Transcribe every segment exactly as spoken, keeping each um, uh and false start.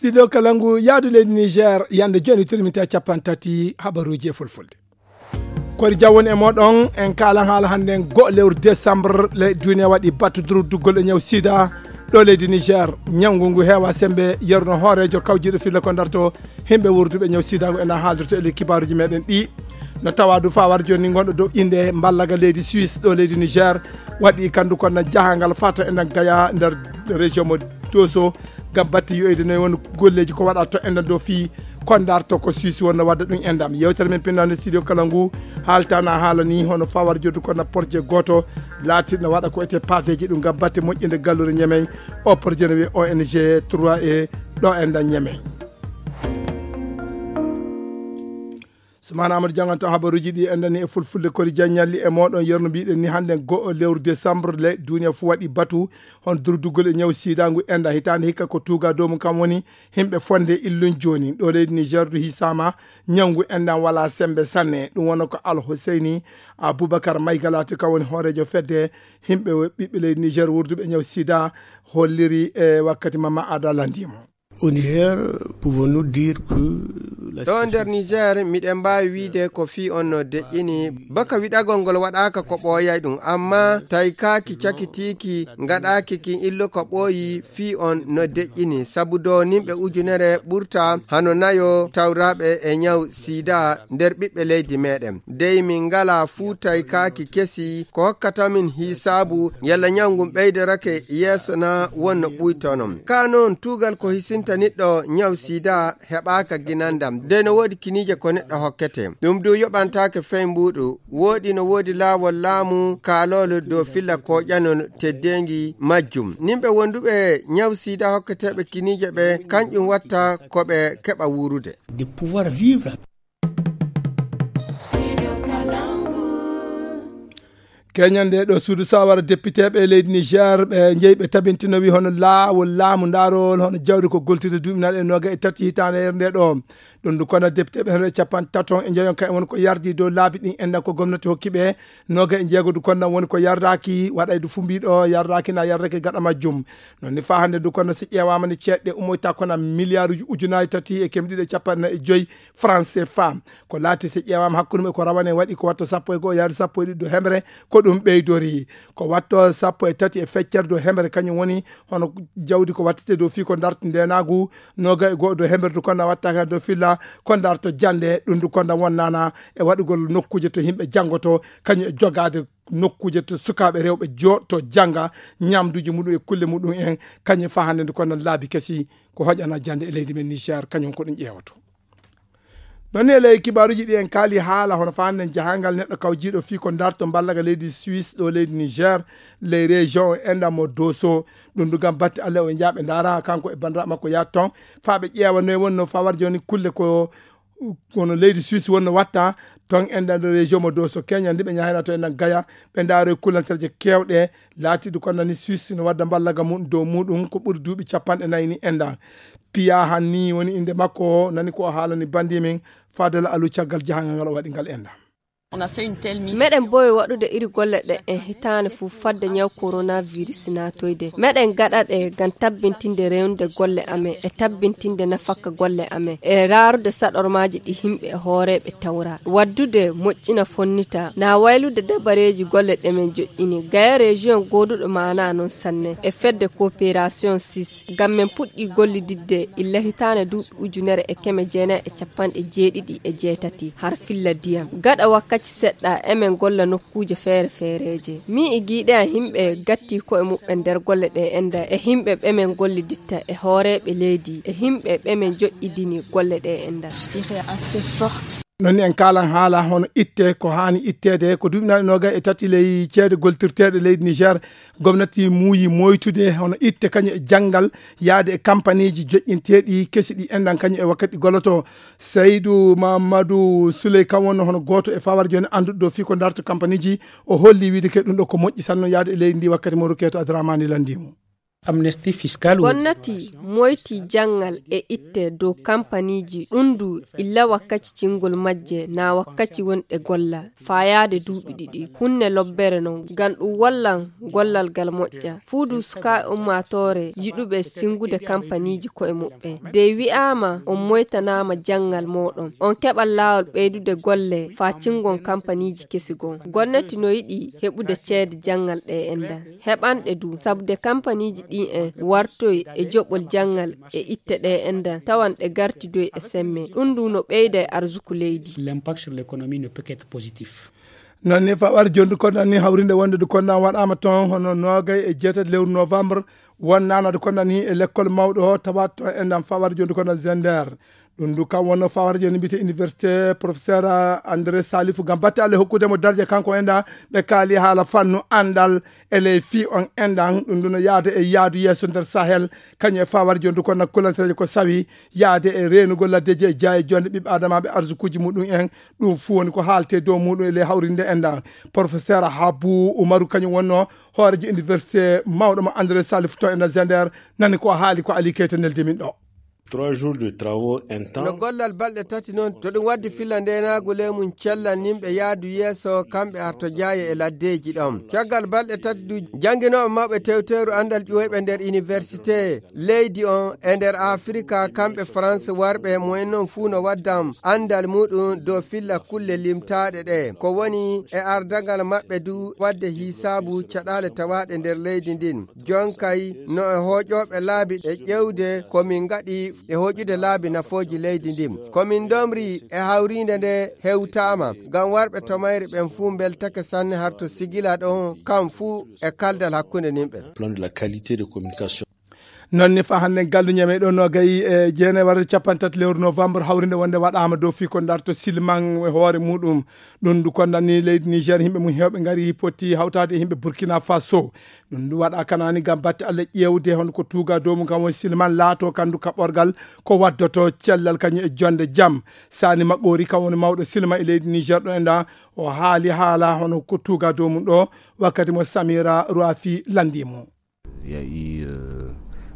Studio Kalangu, yaadu leydi Niger, yande joni tirmita capan tati habaruji e fulfulde. Kori jawwon e moɗon, en kaalan haala hannde en go'o lewru décembre, le duniya waɗi battu durduggol e ñaw sida. Ɗo leydi Niger, ñawngu ngu heewa sembe, yeruno hooreejo kawjiiɗo filla ko darto himɓe wurduɓe ñaw sida ngu ena haaldirto e ley kibaaruji meɗen ɗi. No tawa du fawar joni gonɗo dow inde mballaga leydi Suisse ɗo leydi Niger, waɗi kandu kon na jahangal fata e nder Gaya nder région mo Doso, ngam batte yoyde noy won golleji ko waɗa to enɗan dow fii ko darto ko Suisse wonno wadda ɗum enɗam. Yewtere men pinnande studio kala ngu haaltana haala ni hono fawar joddu ko na projet goto laatirno waɗa ko ete paveji ɗum ngam batte moƴƴinde gallure Ñemey. O projet no wiye O N G trois e ɗo enɗan Ñemey. Sumana Amadou Diang, on taw habaruji ɗi en dani e fulfulde kori jaññalli e moɗon yerno mbiɗen ni hannde go'o lewru décembre le duniya fu waɗi batu hon durdugol e ñaw sida ngu enda hitande hikka ko tuga dow mum kam woni himɓe fonde illun joni ɗo leydi Niger du hisama ñawngu endan wala sembe sanne. Ɗum wona ko Al Husseini Aboubacar Maygalati kam woni hoorejo fedde himɓe ɓiɓɓe leydi Niger wurduɓe e ñaw sida holliri e wakkati mama ada landimo. Au Niger, pouvons-nous dire que la ɗo situation nder Niger miɗen mbaawi wiide ko fii on no deƴƴini baka wiɗagol ngol waɗaaka ko ɓooyay ɗum amma taykaaki cakitiiki ngaɗaaki kin illo ko ɓooyi fii on no deƴƴini sabu do nimɓe ujunere ɓurta hano nayo tawraɓe e ñaw sida nder ɓiɓɓe leydi meɗen dey min ngala fuu taykaaki kesi ko hokkata min hisaabu yalla ñaw ngun ɓeydorake yeeso na wonno ɓuytono ka non tuugal ko hisinta niɗɗo ñaw sida heɓaaka ginandam dey no woodi kiniije ko neɗɗo hokkete ɗum du yoɓantaake fey mbuuɗu woɗi no woodi laawol laamu kaaloolo dow filla koƴanol teddeengi majjum nimɓe wonduɓe ñaw sida hokketeeɓe kiniije ɓe kanƴum watta ko ɓe keɓa wuurude de pouvoir vivre. Keñande ɗo suudu sawara depiteɓe e leydi Niger ɓe jeyi ɓe tabintino wi hono laawol laamu ndarol hono jawdi ko goltide duuɓi naɗe noga e tati hitande nder nde ɗo ɗum du kono depiteɓe heno e capan taton e jeyon kay won ko yardi dow laabi ɗin enɗan ko gomnati hokki ɓe noga e jeego du kono woni ko yardaki waɗay du fu mbiɗo yardaki na yardaki gaɗa majjum. Non ni fa hande du kono si ƴeewama ni ceeɗɗe ummoyta kono milliard uji ujunaji tati e kemɗiɗi e capanɗe e joyi franc cfa. Ko laati si ƴeewama hakkunde mum e ko rawane waɗi ko watto sappo e go'o yaade sappo e ɗiɗi dow hemre ko ɗum ɓeydori ko watto sappo e tati e feccere dow hemre kañum woni hono jawdi ko wattete dow fii ko darto ndenagu noga e go'o dow hemre du konda wattaka dow filla ko darto jande ɗum du konda wonnana e waɗugol nokkuje to yimɓe janngoto kañum e jogade nokkuje to sukaaɓe rewɓe joɗto jannga ñamduji muɗum e kulle muɗum en kañum fa hande du konda laabi kesi ko hoƴana jande e leydi men Niger kañum ko ɗum ƴeewoto. Non ni e ley kibaaruji ɗi en kaali haala hono faanden jahangal neɗɗo kawjiiɗo fii ko darto mballaga leydi Suisse ɗo leydi Niger ley région o enda mo Doso ɗum du gam batte Allah o jaaɓe ndara kanko e bandiraɓe makko yaat ton faa ɓe ƴeewa noy wonno fawar joni kulle ko kono leydi Suisse wonno watta ton enda nder région mo Doso keña ndi ɓe ñahayna to enda Gaya ɓe ndaroy kullanterje kewɗe laatiɗo ko nani Suisse no wadda mballaga mum dow muɗum ko ɓuri duuɓi capanɗe nayi ni enda piya hanni woni inde makko nani ko o haalani bandi min fadala alu caggal jahangal ngal o waɗi ngal enda. Meɗen bowi waɗude iri golle ɗe en hitaande fof fadde ñaw coronavirus naatoyde. Meɗen gaɗa ɗe ngam tabbintinde rewnude golle amen e tabbintinde nafakka golle amen e raarude saɗormaaji ɗi yimɓe e hooreeɓe tawra. Waddude moƴƴina fonnita na waylude dabareeji golle ɗe men joƴƴini. Gaya région gooduɗo maanaa noon sanne e fedde coopération six ngam men puɗɗi gollididde illa hitaande duuɓi ujunere e keme jeenayi e capanɗe jeeɗiɗi e jeetati har filla diyam. Gaɗa wakkaci seɗɗa emen golla nokkuuje feere feereeje. Mii e giiɗe am yimɓe gatti ko'e muɓɓen nder golle ɗe enda e yimɓe ɓe men golliditta e hooreeɓe leydi e yimɓe ɓe men joƴƴidini golle ɗe enda. Non ni en kaalan haala hono itte ko haani itteede ko duuɓi nayi noga e tati ley ceede goltirteeɗe leydi Niger gomnati muuyi moytude hono itte kañum e janngal yaade e kampaniiji joƴƴinteeɗi kesi ɗi enɗan kañum e wakkati ɗi golloto. Seydu Mamadou Souley kam wonno hono gooto e fawar jooni annduɗo ɗo fii ko darto kampaniiji o holli wiide ke ɗum ɗo ko moƴƴi sanno yaade e leydi ndi wakkati mo rukeeto Adramani lanndimo. Amnesty fiscal. Gonnati moyti janngal e itte dow kampaniiji ɗundu illa wakkaci cingol majje na wakkaci wonɗe golla faayaade duuɓi ɗiɗi. Hunne lobbere non ngam ɗum wallan gollal ngal moƴƴa. Fuudu suka e ummaatoore yiɗuɓe singude kampaniiji koye muɓɓen. De wi'aama on moytanaama janngal mooɗon. On keɓal laawol ɓeydude golle faa cingon kampaniiji kesi gon. Gonnati no yiɗi heɓude ceede janngal ɗe endan. Heɓanɗe du, sabu de kampaniiji ɗin en wartoy e joɓol janngal e itte ɗe endan, tawan ɗe gartidoy e semme. Ɗum du no ɓeyda e arzuku leydi. L'impact sur l'économie ne peut qu'être positif. Noon ni fawaade jondu kondan ni hawrinde wonde du kondan waɗaama toon hono noogay e jeetati lewru novembre wonnanade kondan ni e lekkol mawɗo o tawaat toon endan fawaade jondu kondan Zender. Ɗum du kam wonno fawaade jondu mbiyete université professeur André Salifou ngam batte Allah hokkude mo darja kanko endan ɓe kaali haala fannu anndal e ley fii on endan ɗum du no yaade e yaadu yeeso nder Sahel kañum e fawaade jondu kondan kulantereeje ko sawi yaade e reenugol laddeeji e jaaye jonde ɓiɓɓe adamaaɓe arsukuuji muɗum en. Ɗum fuu woni ko haalte dow muɗum e ley hawrinde endan. Professeur Habu Umaru kañum wonno hoorejo université mawɗo mo André Salif to endan Zender nani ko haali ko Ali Keita neldi min ɗo. Trois jours de travaux intenses. No gollal balɗe tati noon to ɗum waddi filla ndenaagu ley mum cellal nimɓe yaadu yeeso kamɓe arto jaaye e laddeeji ɗon. Caggal balɗe tati du jannginooɓe mawɓe tewteeru anndal ƴuwoyɓe nder université leydi on e nder Afirika kamɓe France warɓe mo en noon fuu no waddam anndal muɗum dow filla kulle limtaaɗe ɗe. Ko woni e ardagal maɓɓe du wadde hisaabu caɗaale tawaaɗe nder leydi ndin. Jonkay no e hooƴooɓe laabi e ƴeewde ko min ngaɗi e hooƴude laabi nafooji leydi ndin. Ko min ndomri e hawriinde nde hewtaama ngam warɓe to mayri ɓen fuu mbeltake sanne harto sigila ɗon kam fuu e kaldal hakkunde nimɓe. Plan de la qualité de communication. Noon ni fa hannde galluñe meɗen no gayi e jeenay warde capanɗe tati lewru novembre hawrinde wonde waɗaama dow fii ko darto silman e hoore muɗum. Ɗum du kondan ni leydi Niger yimɓe mum heewɓe ngari potti hawtaade e yimɓe Burkina Faso. Ɗum du waɗa kanani ngam batte Allah ƴeewde hono ko tuuga dow mum kam woni silman laato kandu kaɓorgal ko waddoto cellal kañum e jonde jam. Sani Maɓɓoori kam woni mawɗo silman e leydi Niger ɗo endan o haali haala hono ko tuuga dow mum ɗo wakkati mo Samira Ruafi landi mo. Il y a eu, euh,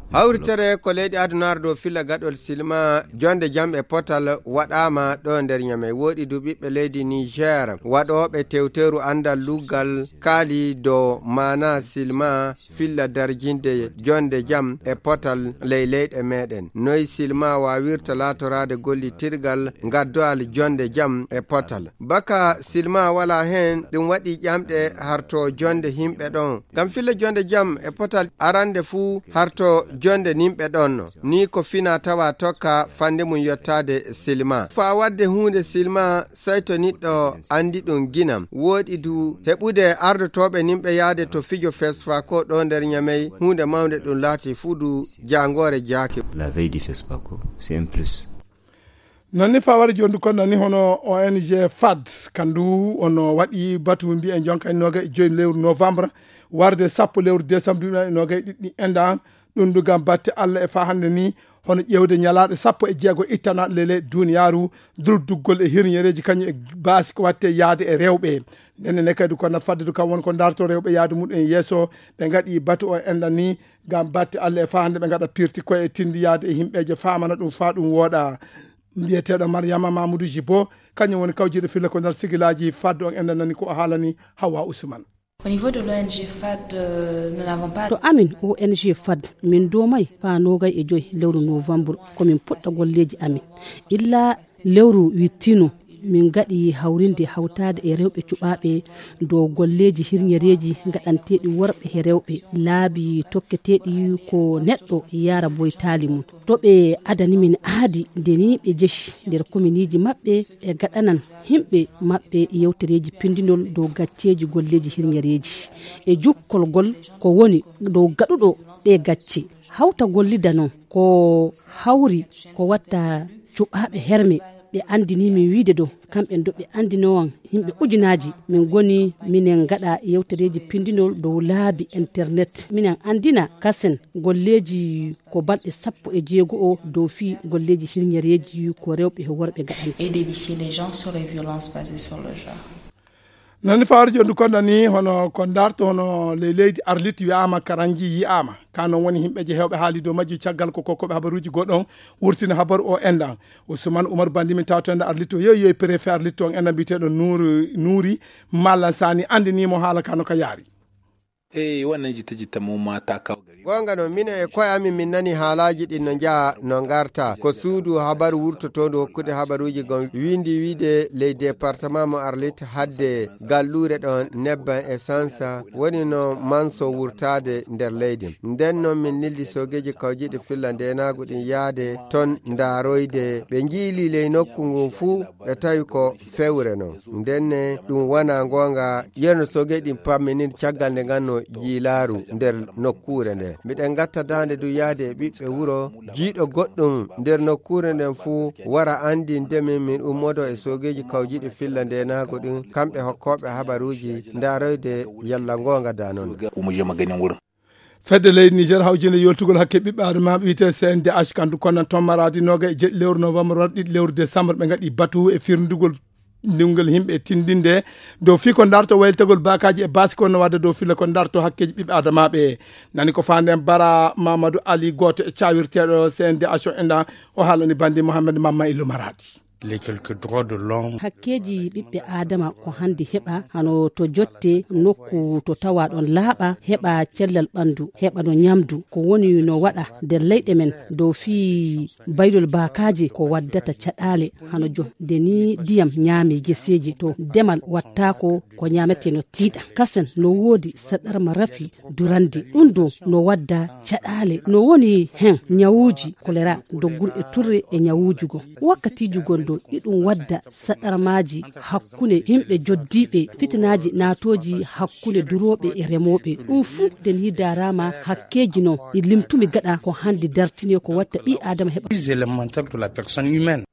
hawritere ko leydi adunaare dow filla gaɗol silma jonde jam e potal waɗaama ɗo nder Ñamey. Woɗi du ɓiɓɓe leydi Niger waɗooɓe tewteeru anndal luggal kaali dow maana silma filla darjinde jonde jam e potal ley leyɗe meɗen. Noy silma waawirta laatoraade gollitirgal ngaddoyal jonde jam e potal. Baka silma wala heen, ɗum waɗi ƴamɗe harto jonde yimɓe ɗon. Ngam filla jonde jam e potal arande fuu harto jonde nimɓe ɗon. Ni ko fina tawa tokka fande mum yottaade silma. Faa wadde huunde silma, sey to niɗɗo anndi ɗum ginam. Woɗi du heɓude ardotooɓe nimɓe yaade to fijo fesfa ko ɗo nder Ñamey, huunde mawnde ɗum laati fuu du jaangoore jaaki. La veille du fespa ko, c'est un plus. Noon ni fawari jooni du konno ni hono O N G fad, kandu ono waɗi batu mbiyen jonka e noga e joyi lewru novembre, warde sappo lewru décembre duuɓi noga e ɗiɗi endan. Ɗum du ngam batte Allah e fa hannde ni, hono ƴeewde ñalaaɗe sappo e jeego ittanaɗe lele duniyaaru, durduggol e hirñereeji kañum e baasi ko watte yaade e rewɓe. Ndenne ne kadi ko na fadde du kam won ko darto rewɓe yaade muɗum en yeeso, ɓe ngaɗi batu o endan ni, ngam batte Allah e fa hannde ɓe ngaɗa pirti koye e tindi yaade e himɓeeje famana ɗum fa ɗum wooɗa. Mbiyeteeɗo Mariama Mamoudou Jibo, kañum woni kawjiiɗo filla ko nder sigilaaji fadde on endan nani ko o haalani Hawa Ousmane. Au niveau de l'O N G fad, euh, nous n'avons pas. To amin O N G fad, min doomay faa noogay e joy lewru novembre, ko min puɗɗa golleeji amin. Illa lewru wittino, min ngaɗi hawrinde hawtaade e rewɓe cuɓaaɓe dow golleeji hirñereeji ngaɗanteeɗi worɓe he rewɓe, laabi tokketeeɗi ko neɗɗo yaara boytaali mum. To ɓe adani min aadi nde ni ɓe jeci nder kominiiji maɓɓe, ɓe gaɗanan himɓe maɓɓe yewtereeji pindinol dow gacceeji golleeji hirñereeji e jukkol gol ko woni dow gaɗuɗo ɗe gacce. Hawta gollida non ko hawri ko watta cuɓaaɓe herme ɓe anndini min wiide dow kamɓe do ɓe anndinowan yimɓe ujunaaji min goni minen ngaɗa yewtereeji pindinol dow laabi internet minen anndina kasen golleeji ko balɗe sappo e jeego o dow fii golleeji hirñereeji ko rewɓe e worɓe gaɗanti. Et d'édifier les gens sur les violences basées sur le genre. Nani fawaade jonndu kon nani hono ko ndarto hono ley leydi Arlit wiyaama karanji yiyaama. Ka non woni himɓe je hewɓe haali dow majji caggal ko kokkoɓe habaruuji goɗɗon wurtina habaru o enɗan. Ousmane Oumar Bandi min tawto enɗan Arlit o yoyi yoyi préfet Arlit on enɗan mbiyeteɗo Nour Nouri Malan Sani andinimo haala ka no ka yaari. Eyi, wannan jita-jita mu ma ta kawo gari. Goonga no, minen e koye amin min nani haalaaji ɗin no njaha no ngarta. Ko suudu habaru wurtotoondu hokkude habaruuji gon windi wiide ley département mo Arlit hadde galluure ɗon nebban essence woni no manso wurtaade nder leydi. Nden non min nildi soogeeji kawjiiɗi filla ndeenaagu ɗin yaade ton ndaaroyde. Ɓe njiili ley nokku ngun fuu ɓe tawi ko fewre non. Ndenne ɗum wona goonga, yerno soogeeji ɗin pamminii caggal nde nganno yiilaaru nder nokkuure nde. Miɗen ngatta daande du yahde e ɓiɓɓe wuro, jiiɗo goɗɗum nder nokkuure nden fuu wara anndinde min, min ummodo e soogeeji kawjiiɗi filla ndeenaagu ɗin, kamɓe hokkooɓe habaruuji, ndaaroyde yalla goonga da non. Fedde leydi Niger hawjinde yoltugol hakke ɓiɓɓe adamaaɓe wiyetee C N D H kandu konnan ton maradi noga e jeɗɗi lewru novembre wara ɗiɗi lewru décembre ɓe ngaɗi batu e firndugol ndingol himɓe tindinde dow fii ko ndarto waylitegol baakaaji e baasi ko no wadda dow filla ko ndarto hakkeeji ɓiɓɓe adamaaɓe. Nani ko faanden Bara Mamadou Ali, gooto e cawirteeɗo C N D H o enɗan, o haalani bandi Mohamed Mamma Illu Maradi. Les quelques droits de l'homme. Hakkeeji ɓiɓɓe aadama ko hannde heɓa hano to jotte nokku to tawa ɗon laaɓa, heɓa cellal ɓanndu, heɓa no ñamdu. Ko woni no waɗa nder leyɗe men dow fii baylol baakaaji ko waddata caɗaale hano jo nde ni ndiyam ñaami geseeji to demal wattaako ko ñaametee no tiiɗa. Kasen no woodi saɗarma rafi durande. Ɗum ɗo no wadda caɗaale. No woni hen ñawuuji kolera, doggur e turre e ñawuuji goo. Wakkatiiji gonɗo iɗum wadda saɗarmaaji hakkunde yimɓe joddiiɓe, fitinaaji naatooji hakkunde durooɓe e remooɓe. Ɗum fuu nden yidaaraama hakkeeji non ɗi limtumi gaɗa ko hannde dartini ko watta ɓii Aadama heɓa. Plus élémentaire de la personne humaine.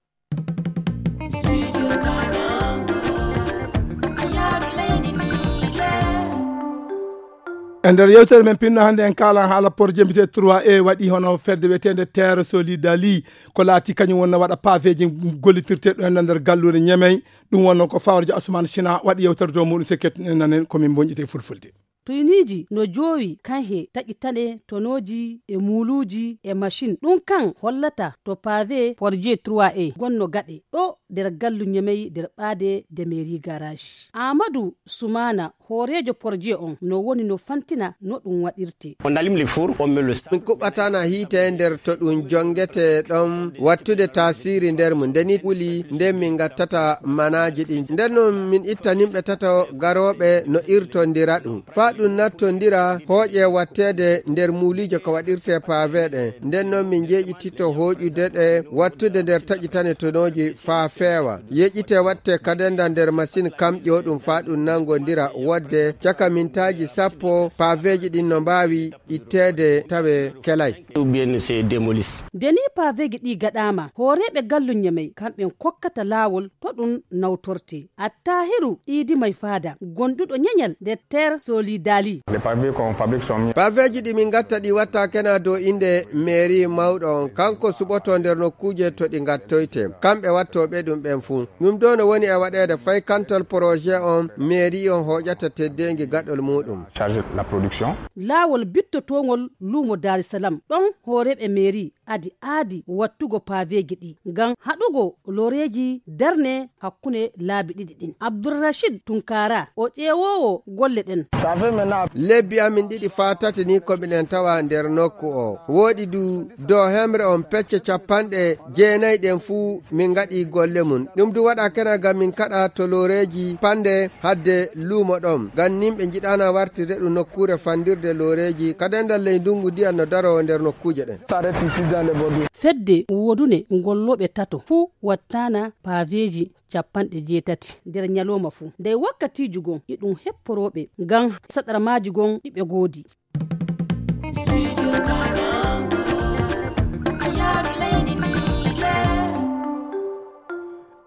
E nder yewtere men pinno hannde en kaalan haala projet mbiyetee trois A waɗi hono fedde wiyeteende Terre Solidali ko laati kañum wonno waɗa paveeji gollitirteeɗo heen nder galluure Ñemey. Ɗum wonno ko Fawarjo Asuman Sina waɗi yewtere dow muɗum se kettuɗen nanen ko min bonƴite fulfulde. Tuyniiji no joowi kan he taƴitane tonooji e muuluuji e machine. Ɗum kan hollata to pavé projet trois A gonno gaɗe ɗo nder gallu Ñemey nder ɓaade de mairie garage. Amadou Soumana, hooreejo projet on, no woni no fantina no ɗum waɗirte. On allume les fours, on met le sang. Min kuɓɓatana hiite nder to ɗum jongete ɗon wattude tasiri nder mum. Nde ni wuli nden min gattata manaaji ɗin. Nden non min itta nimɓe tato garooɓe no irtondira ɗum. Faa ɗum nattondira hooƴe watteede nder muuliijo ko waɗirte pavé ɗen. Nden non min jeeƴititto hooƴude ɗe wattude nder taƴitane tonooji faa feewa. Yeƴite watte kadenda nder masin kamƴo ɗum faa ɗum nangondira wodde caka mintaaji sappo paveeji ɗin no mbaawi itteede tawe kelay. Ou bien c'est démoli. Nde ni paveeji ɗi gaɗaama, hooreeɓe gallu Ñemey kamɓen kokkata laawol to ɗum nawtorte. Attahiru Idi Mai Fada, gonduɗo ñeñal nder Terre Solidali. Les pavés qu'on fabrique sont mis. Paveeji ɗi min gatta ɗi watta kena dow innde mairie mawɗo on. Kanko suɓoto nder nokkuuje to ɗi gattoyte. Kamɓe wattooɓe ɗum ɓen fuu. Ɗum ɗo no woni e waɗeede fay kantal projet on mairie on hooƴata teddeengi gaɗol muɗum. Charge la production. Laawol bittotoongol luumo Dar es Salaam. Ɗon hooreeɓe mairie adi aadi wattugo paveeji ɗi ngam haɗugo loreeji darne hakkunde laabi ɗiɗi ɗin. Abdulrashid Tunkara, o ƴeewoowo golle ɗen. Ça fait maintenant. Lebbi amin ɗiɗi faa tati ni ko miɗen tawa nder nokku o. Wooɗi du dow hemre on pecce capanɗe jeenayi ɗen fuu min ngaɗi golle mum. Ɗum du waɗa kena ngam min kaɗa to loreeji pande hadde luumo ɗon. Ngam nin ɓe njiɗaana wartirde ɗum nokkuure fandirde loreeji. Kadendal ley ndungu ndiyam no daro nder nokkuuje ɗen. S'arrête ici dans les bordures. Fedde woodune ngollooɓe tato fuu wattaana paveeji capanɗe jeetati nder ñalooma fuu. Ndey wakkatiiji gon iɗum hepporooɓe ngam saɗarmaaji gon ɗi ɓe goodi.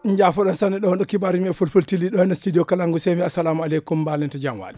Njaafoɗon sanne ɗo hono kibaar yimɓe fulfultili ɗo e studio Kalangu semi. Assalamu aleykum, mbaalente jam waali.